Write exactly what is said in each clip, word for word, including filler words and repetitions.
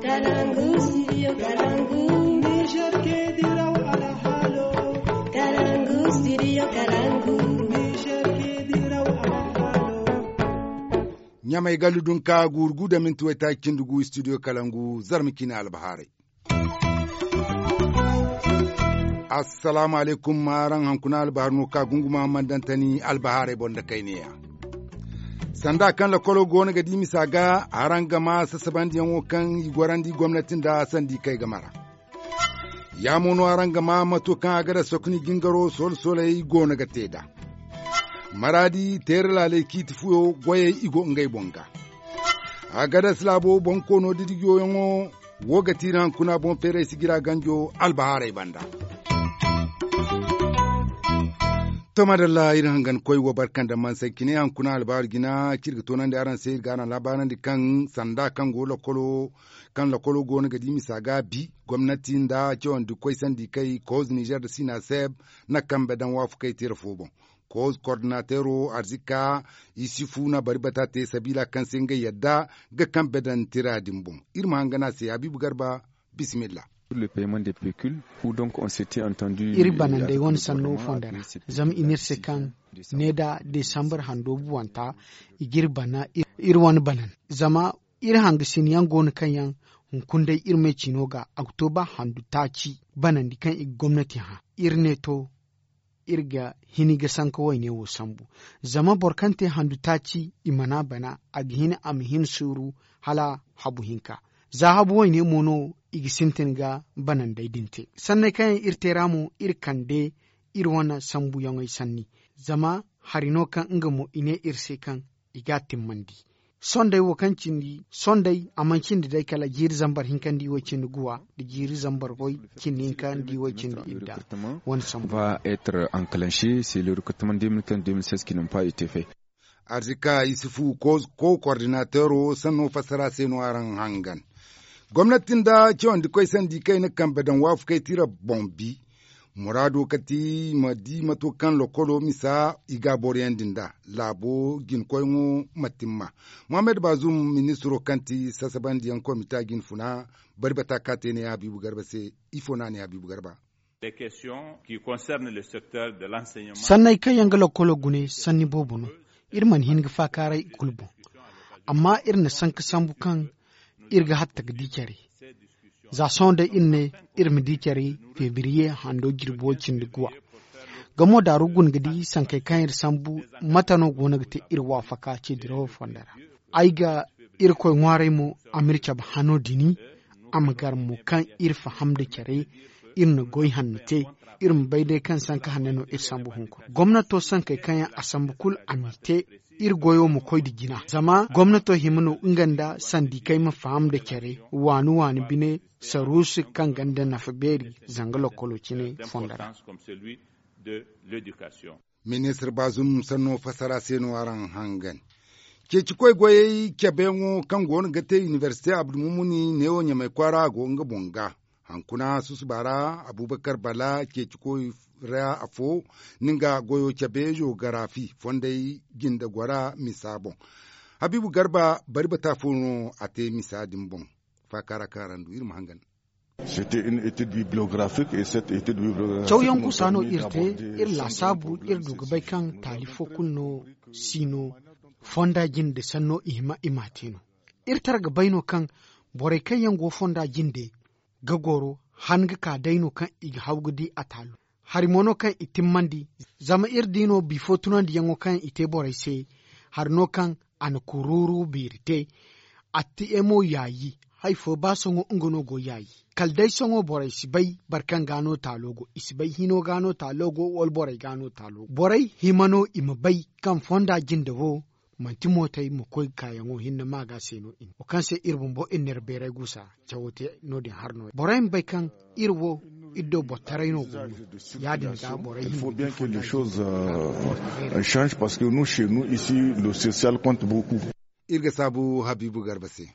Kalangu, studio Kalangu. Niger ke diraw alhalo. Kalangu, studio Kalangu. Niger ke diraw alhalo. Ɲamay gallu dunka guuru gu da minti waytaaci cindi gu studio Kalangu, zarma ciine albahaarey. Assalaamu alaykum. Araŋ hankuna albahaari no ka gunguma mandantani albahaarey boŋ da kayneya. Sanda kaŋ lakolo go no ga di misa ga, araŋ ga ma sasabandiyaŋo kaŋ i gorandi gomnati nda sandi kay ga mara. Ya mo no araŋ ga ma mato kaŋ a ga da sokni jingaro solo-soley go no ga te nd'a. Maraadi teera laaley ciiti fuyo goyey i go ngey boŋ ga. A ga da silaabo boŋ koono didijoyaŋo wo ga tiiri hankuna boŋ feeray sijira ganjo albahaarey banda. To madalla iri hangan koy wo barka nda mansay cine hankuna albahaari jina kaŋ iri ga toonandi araŋ se iri ga araŋ laabaarandi kaŋ sanda kaŋ go lakolo kaŋ lakolo go no ga di misa ga bi gomnati nda cawandi koy sandi kay kooz nizer da sinaseb na kambe daŋ waafakey teera fo boŋ. Kooz kordinateero arzika isifu na bari bata te sabiila kaŋ se ngey yadda ga kambe daŋ tira din boŋ. Iri ma hangan a se habiibu garba. Bisimilla. Iri banandey wane sanno fondo ra zama i ne iri se kaŋ ne da desambar hando buwanta i ga iri bana. Iri wane banan zama iri hangasin yaŋ go no kaŋ yaŋ hunkuna day iri me ciino ga oktoba handu taaci banandi kaŋ i ga gomnati hã. Iri ne to iri ga hini ga sanka wayne wo sambu. Zama boro kaŋ te handu taaci i mana bana a ga hin a ma hin suuru hala habu hinka. Za habu wayne mo no i ga sintin ga banandey din te sanney kaŋ yaŋ iri te ra mo iri kande iri wane sambuyaŋey sanni. Zama hari no kaŋ nga mo i ne iri se kaŋ i ga a timmandi. Sondey wo kaŋ cindi sondey a mana cindi day kala jiiri zambar hinka nda i way cindi guwa nda jiiri zambar way cindi hinka nda i way cindi idda. Wane sambu va être enclenché c'est le recrutement deux mille quinze deux mille seize qui n'ont pas été fait. Arzika isufu ko kordinateero sanno fassara se no araŋ hangan. Gomnati nda cawandi koy sandi kayna kambe daŋ waafakey tira boŋ bi. Muraado kati ma di mato kaŋ lokolo misa i ga a boroyandi nd'a laabo jinkoyŋo ma timma. Mohammed bazum ministiro kaŋ ti sasabandiyaŋ komita jinfuna bari bata ka te ne habiibu garba se. Ifo no a ne habiibu garba. Sanney kaŋ yaŋ ga lokolo gune sanni boobo no. Iri mana hin ga faakaaray i kulu boŋ. Amma iri na sanka sambu kaŋ iri ga hatta ga di care. Za sohõ day iri ne iri ma di care febriye hando jirbi way cindi guwa. Gamo daaru guna ga di sankey kaŋ iri sambu mate no go no ga te iri waafaka ce dirawo fondo ra. Ay ga irkoy ŋwaaray mo a m'iri cabe hano dini. A ma gar mo kaŋ iri faham nda care. Iri na goy hanno te. Iri ma bay day kaŋ sanka hanno no iri sambu hunkuna gomnato sankey kaŋ yaŋ a sambu kulu a m'i te. Iri goyo ma koy nda jina zama gomnato hima no nga nda sandikey ma faham nda care waani waani bine saruusi kaŋ gonda nafa beeri zanga lokolo cine fondo ra. Ministir bazum sanno fassara se no araŋ hangan. Ceeci koy goyey cabeyaŋo kaŋ go no ga te inibersite abdulmumuni neewo ɲamay kwaara a go nga boŋ ga. Hankuna susuba ra abubakar bala ceeci koy ra afo ni nga goyo cabe jogarafi fondey jinde gora misa boŋ. Habiibu garba bari bata fo no a te misa din boŋ. Faakaara kaŋ araŋ du iri ma hangan. Cawyaŋ gusa no iri te. Iri laasaabu iri du ga bay kaŋ taali fo kulu no si no fonda jinde sanno i hima i m'a te no. Iri tara ga bay no kaŋ borey kaŋ yaŋ go fonda jinde ga goro han ga ka day no kaŋ i ga haw ga di a taalo. Hari mo no kaŋ i timmandi zama iri di no bifo tunandiyaŋo kaŋ i te borey se. Hari no kaŋ a na kuruuru beeri te. A ti emo yaayi. Hari fo ba sohõ nga no go yaayi kala day sohõ borey si bay boro kaŋ ga no taalo go i si bay hino ga no taalo go wala borey ga no taalo go borey hima no i ma bay kaŋ fonda jinde wo manti mootey ma koy kaayaŋo hinne ma ga se no i ne wo kaŋ se iri bumbo iri n'iri beeray gusa cawo te no- din har no borey ma bay kaŋ iri wo iri do boro taray no go no. Ya- din ga borey hima ga di fonda jinde. Change parce que nous chez nous ici le social compte beaucoup. Iri ga saabu habiibu garba se.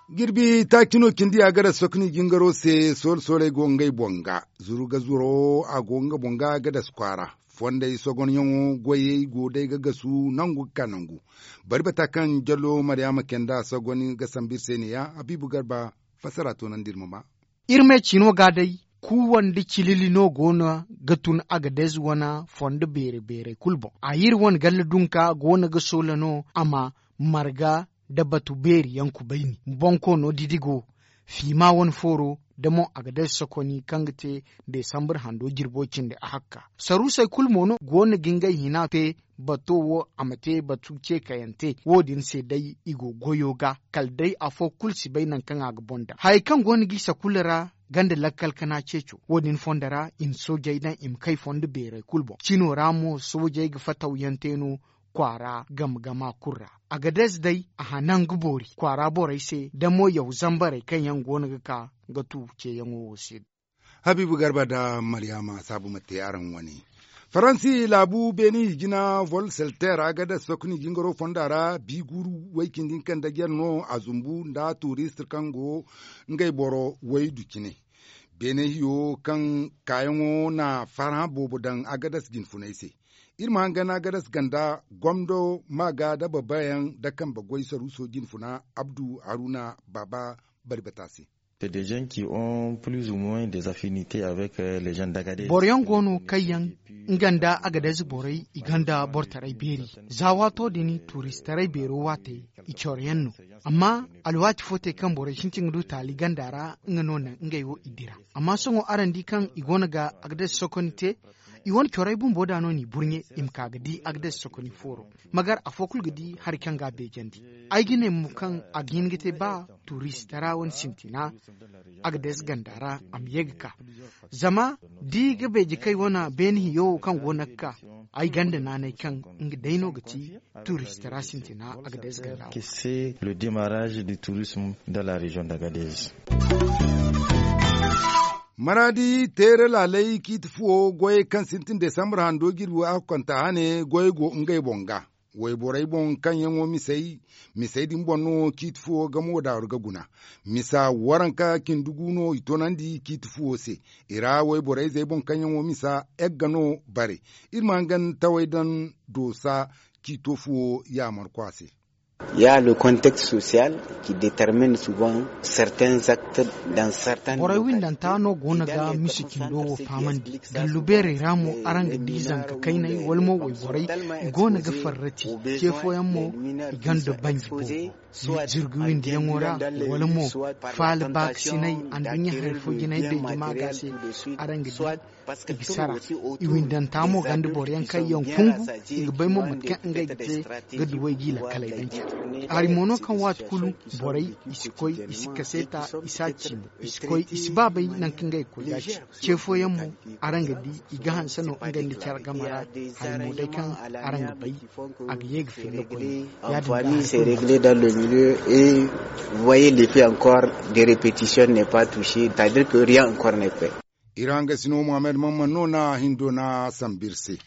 Jirbi taaci no cindi a ga da sokni jingaro se soole sooley go ngey boŋ ga zuru ga zuro a go nga boŋ ga ga da si kwaara. Fondey sogonyaŋo goyey go day ga gasu nangu ga ka nangu. Bari bata kaŋ jallo maryaama kenda sogon ga sambu iri se ne- ya habiibu garba. Fassara toonandi iri ma ma. Iri me ciino ga day kuuwa nda cilili no go no ga tun agadez wane fondo beere beerey kulu boŋ a iri wane galla dunka go no ga soola no a ma marga nda batu beeri yaŋ kubayni bonkoono didigo fiima wane fooro nda mo agadez sokoni kaŋ ga te desambar hando jirbo cindi a hakka. Saruusey kulu mo no go no ga ngey hina te bato wo a ma te batu ceekayante wo- din se day i go goyo ga kala day afo kulu si bay nangu kaŋ a ga boŋ daŋ hayey kaŋ go no g'i sakula ra. Ganda lakkal kana ceeco wo- din fondo ra i ma soojey daŋ i ma kay fondo beerey kulu boŋ cino ra mo soojey ga fatawyaŋ te no kwaara game gama kulu ra. Agadez day a hanan ga boori kwaara borey se da mo yaw zambarey kaŋ yaŋ go no ga ka ga tu ceeyaŋo wo se. Habiibu garba nda maryaama saabu ma te araŋ wane. Faransi laabu beeni hijina volselter agadez sokoni jingaro fonda ra bi guuru way cindi hinka nda jare no a zumbu nda turist kaŋ go ngey boro waydu cine. Beene hiyo kaŋ kaayaŋo na farhã boobo daŋ agadez jinfunay se. Iri ma hangan agadez ganda gomdo maaga nda babayaŋ nda kambe goy saruuso jinfuna abdu haruna baaba bari bata se. Boro yaŋ go no kaŋ yaŋ nga nda agadez borey i gonda bortaray beeri za waato din turistaray beero waate i coro yaŋ no. Amma alwaati fo te kaŋ borey sintin ga du taali ganda ra nga no naŋ ngey wo i dira. Amma sohõ araŋ di kaŋ i go no ga agadez sokoni te i wane corey bumbo da no n'i burɲe i ma ka ga di agadez sokoni fooro. Magar afo kulu ga di hari kaŋ ga a beejandi. Ay ga ne mo kaŋ a ga hin ga te ba turistara wane sintina agadez ganda ra a ma ye ga ka. Zama da i ga beeje kay wane beene hiyo wo kaŋ go no ga ka ay ganda naanay kaŋ nga day no ga ti turistara sintina agadez ganda wo. Le demarrage du tourisme dans la région d'agadez. Maraadi teere laalay ciiti fuwo goyey kaŋ sintin desambar hando jirbi a hukkanta hane goyey go ngey boŋ ga. Wayborey boŋ kaŋ yaŋo misey misey din boŋ no ciiti fuwo gamo daaru ga guna. Misa waranka cindi gu no i toonandi ciiti fuwo se. I ra wayborey zey boŋ kaŋ yaŋo misa egga no bare. Iri ma hangan tawey daŋ doosa ciito fuwo yaamarkwa se. Ya le contexte social ki determine souvent certains actes dans certains borey windanta no go no ga misi cindo wo faamandi. Gallu beerey ra mo araŋ ga di zanka kayney wala mo wayborey i go no ga farrati. Ce fooyaŋ mo i gonda banji boobo zirgu windiyaŋo ra wala mo faala baakasinay anduɲɲa hari fo jinay beeji ma ga se. Araŋ ga di i ga sara. I windanta mo ganda boro yaŋ kaŋ yaŋ kungu i ga bay mo mate kaŋ ngey ga te ga duwey g'i lakkaley daŋ care. Hari mo no kaŋ waati kulu borey i si koy i si kaseeta i si a ciimo i si koy i si ba bay nangu kaŋ ngey ga koy ga ci. Ce fooyaŋ mo araŋ ga di i ga hanse no ngey nda care game ra. Hari mo day kaŋ araŋ ga bay a ga ye ga filla koyne. Ya-din ga hari kulu mo. Dans le milieu et voyez l'effet encore de répétition n'est pas touché c'est à dire que rien encore n'est fait. Iri hangasino muhammad mamman no na hindo na sambu iri se.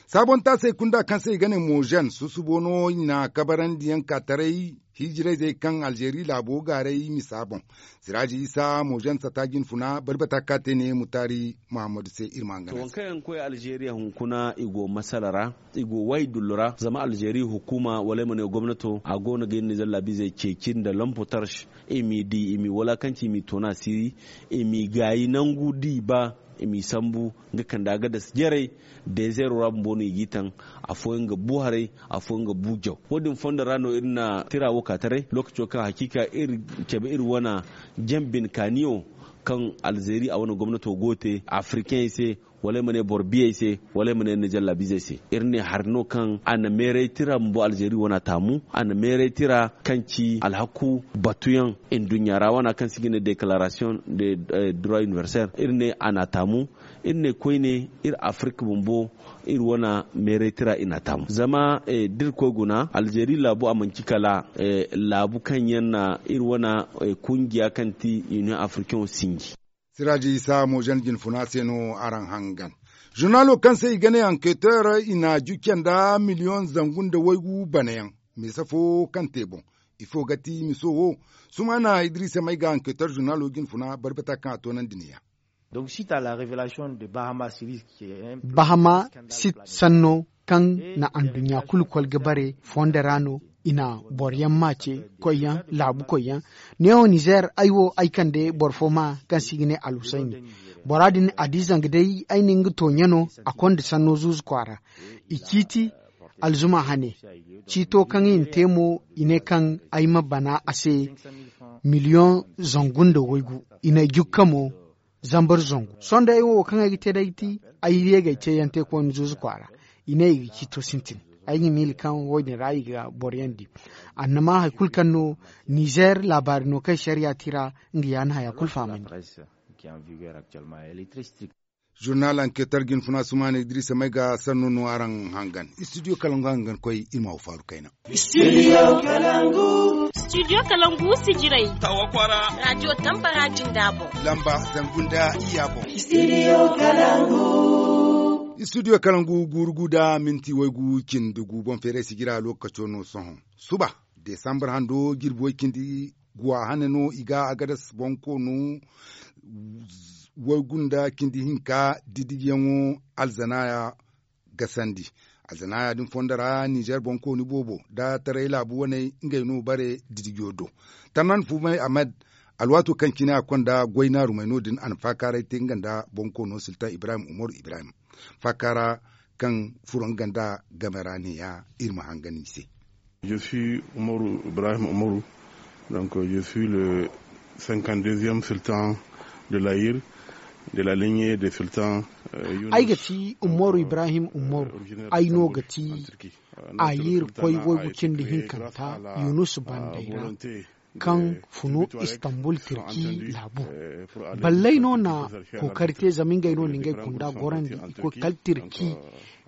Saabontaasey kunda kaŋ se i ga ne mozen susubo no i na kabarandiyaŋ ka taray hiijirayzey kaŋ alzeeri laabo gaaray misa boŋ. Siraaji isa mozen sata jinfuna bari bata ka te ne mutaari muhammadu se iri ma hangan a se. Waŋ kaŋ yaŋ ga koy alzeeriya hunkuna i go masala ra i go waydullu ra zama alzeeri hukuuma wala ay ma ne gomnato a go no ga iri nizer laabiizey ceeci nda lampo tarsh. I m'i di i m'i walakanci i m'i toona siiri i m'i gaayi nangu da i ba i m'i sambu ga kande agadas jarey. Dezeero ra bumbo no i g'i taŋ. Afooyaŋ ga bu haray afooyaŋ ga bu jaw. Wo- din fondo ra no iri na tira wo ka taray lookaco kaŋ hakiika iri cabe iri wane jambin kaaniyo kaŋ alzeeri a wane gomnato go ga te afrikaŋey se wala ay ma ne boro biyey se wala ay ma ne nizer laabiizey se. Iri ne hari no kaŋ a na meeray tira bumbo alzeeri wane a taamu a na meeray tira kaŋ ci alhaku batuyaŋ nduɲɲa ra wane kaŋ se i ga ne deklaarasiyoŋ de droit iniwersel iri ne a na a taamu. Iri ne koyne iri afirka bumbo iri wane meeray tira i na a taamu zama da iri koy guna alzeeri laabu a manci kala laabu kaŋ yaŋ na iri wane kungiya kaŋ ti iniweŋ afirkaŋo sinji. Siraaji isa mozen jinfuna se no araŋ hangan. Zurnaalo kaŋ se i ga ne anketer i na jucce nda miliyoŋ zangu nda waygu banayaŋ. Mise fo kaŋ te boŋ ifo ga ti miso wo. Sumaana idiriisa may ga anketer zurnaalo jinfuna bari bata kaŋ a toonandi ne- ya. Donc, suite à la révélation de Bahama Siri, qui est un bahama sit sanno kaŋ na anduɲɲa kulu kol ga bare fondo ra no. I na boro yaŋ maace koy yaŋ laabu koy yaŋ. Neewo nizer ay wo ay kande boro fo ma kaŋ se i ga ne alhusayni. Bora din a di zanga day ay na nga tooɲe no. A konda sanno zuuzu kwaara i ciiti alzuma hane. Ciito kaŋ i na te mo i ne kaŋ ay ma bana a se miliyoŋ zangu nda waygu. I na ay jukka mo zambar zangu sohõ day wo kaŋ ay ga te day ti ay ye ga ay ceeyaŋ te koyne zuuzu kwaara. I ne i ga ciito sintin. Ay ga miila kaŋ wo- din ra i ga boro yaŋ di. Annama hari kulu kaŋ no nizer laabaari no kaŋ sariya ti ra nga ya na haya kulu fahamandi. Zurnal anketar ga hin funa sumaana idrisa may ga sanno no araŋ hangan studio kalangu hangan koy iri ma wa faaru kayna. Studio kalangu sijirey tawa kwaara. Radio tambara jinda boŋ lamba zangu nda iyya boŋ. Studio kalangu guuru gu da minti waygu cindi gu boŋ feeray sijira lokaco no sohõ suba. Desambar hando jirbi way cindi guwa hane no i ga agadas boŋ koonu waygu nda cindi hinka didigiyaŋo alzanaya gasandi. Alzanaya din fondo ra nizer boŋ kooni boobo nda taray laabu waney ngey no bare didigiyo do. Tarnan fumay ahmed alwaato kaŋ cine a konda goy naarumey no- din a na faakaaray te nga nda boŋ koono siltan ibrahim umaru ibrahim faakaara kaŋ furo nga nda game ra ne- ya iri ma hangan i se. Je suis umaru ibrahim umaru. Donc je suis le cinquante deuxième sultan de l'ayir de la lignée des sultans. Ay ga ti umaru ibrahim umaru. Ay no ga ti ayir koy waygu cindi hinkanta yunus banday ra kaŋ funu istanbul tirki laabu. Ballay no na kookari te zama ngey no na ngey kunda gorandi i koy kala tirki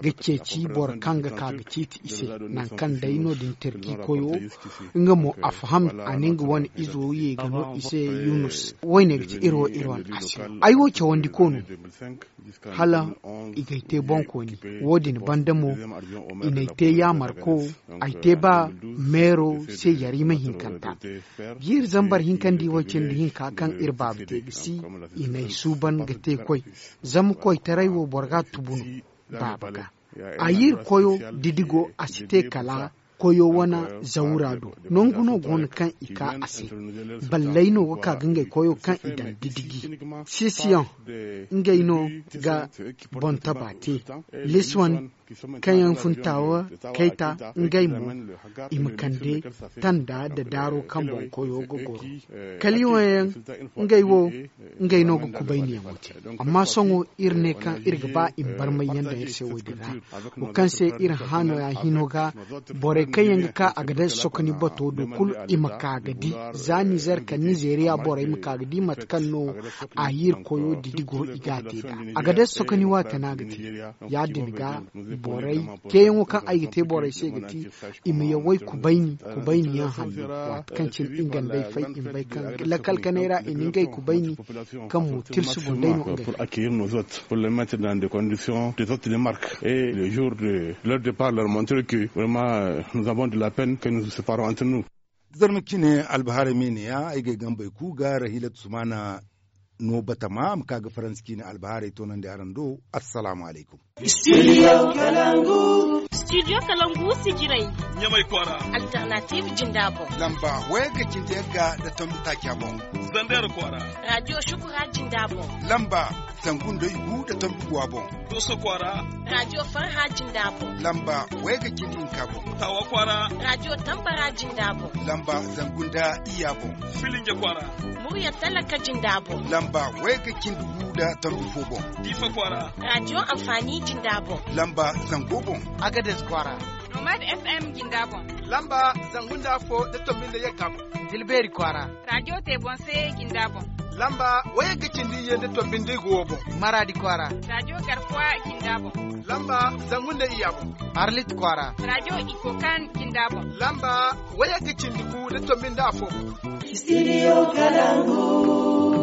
ga ceeci boro kaŋ ga ka ga ciiti i se. Nangu kaŋ day no- din tirki koyo nga mo a faham a na nga wane izo ye ga no i se yunus. Woyne ga ti iri wo iri wane a se ay wo cawandi koonu hala i g'ay te boŋkooni. Wo- din banda mo i n'ay te yaamarko ay te ba meero se yarima hinkanta. Jiiri zambar hinkandi way cindi hinka kaŋ iri baaba te ga si i n'ay suuban ga te koy. Zama koytaray wo boro ga tubu no baaba ga. A yiri koyo didigo a si te kala koyo wane zawura do. Nangu no go no kaŋ i ka a se. Balley no ga ka ga ngey koyo kaŋ i daŋ didigi sisiyaŋ ngey no ga boŋ taba te. Liswan kaŋ yaŋ fun taawa kayta ngey mo i ma kande tanda nda daaro kaŋ boŋ koyo ga goro. Kaliiwaŋ yaŋ ngey wo ngey no ga kubayniyaŋo te. Amma sohõ iri ne kaŋ iri ga ba i ma barmay yaŋ daŋ iri se wo- din ra wo kaŋ se iri hano ya hino ga borey kaŋ yaŋ ga ka a ga day sokoni bato do kulu i ma ka ga di. Za nizer ka nizeriya borey ma ka ga di mate kaŋ no a yiri koyo didi go i ga a te nd'a a ga day sokoni waati no a ga te. Ya- din ga borey ceeyaŋo kaŋ ay ga te borey se ga ti i ma yawey kubayni kubayni yaŋ hanno waati kaŋ cine i ga nd'ey fay i ma bay kaŋ lakal kanay ra i na ngey kubayni kaŋ mo tirsi gundey no ngey. Pour accueillir nos hôtes pour les mettre dans des conditions des hôtes de marque et le jour de leur départ leur montrer que vraiment nous avons de la peine que nous nous séparons entre nous. Zarma cine albaharay me ne ya ay ga ay gambey ku ga rahilatu sumana no batama a ma ka ga faransi ciine albahaarey toonandi araŋ do. Assalaamu alaykum. Studio kalangu sijirey ɲamay kwaara. Alternative jinda boŋ lamba waya ga cindi yagga nda tombi taaca boŋ. Zander kwaara radio shukura jinda boŋ lamba zangu nda igu nda tombi guwa boŋ. Doso kwaara radio farha jinda boŋ lamba waya ga cindi hinka boŋ. Tawa kwaara radio tambara jinda boŋ lamba zangu nda iyya boŋ. Filinge kwaara murya talaka jinda boŋ lamba waya ga cindi gu nda tombi fo boŋ. Diifa kwaara radio amfani jinda boŋ lamba zango boŋ. Agades kwaara nomad fm jinda boŋ lamba zangu nda afo nda tombi nda yagga boŋ. Dilbeeri kwaara radio te boŋ se jinda boŋ lamba waya ga cindi iyye nda tombi nda igo wo boŋ. Maradi kwaara radio garkuwa jinda boŋ lamba zangu nda iyya boŋ. Arlit kwaara radio ikokan jinda boŋ lamba waya ga cindi gu nda tombi nda afo boŋ. Studio kalangu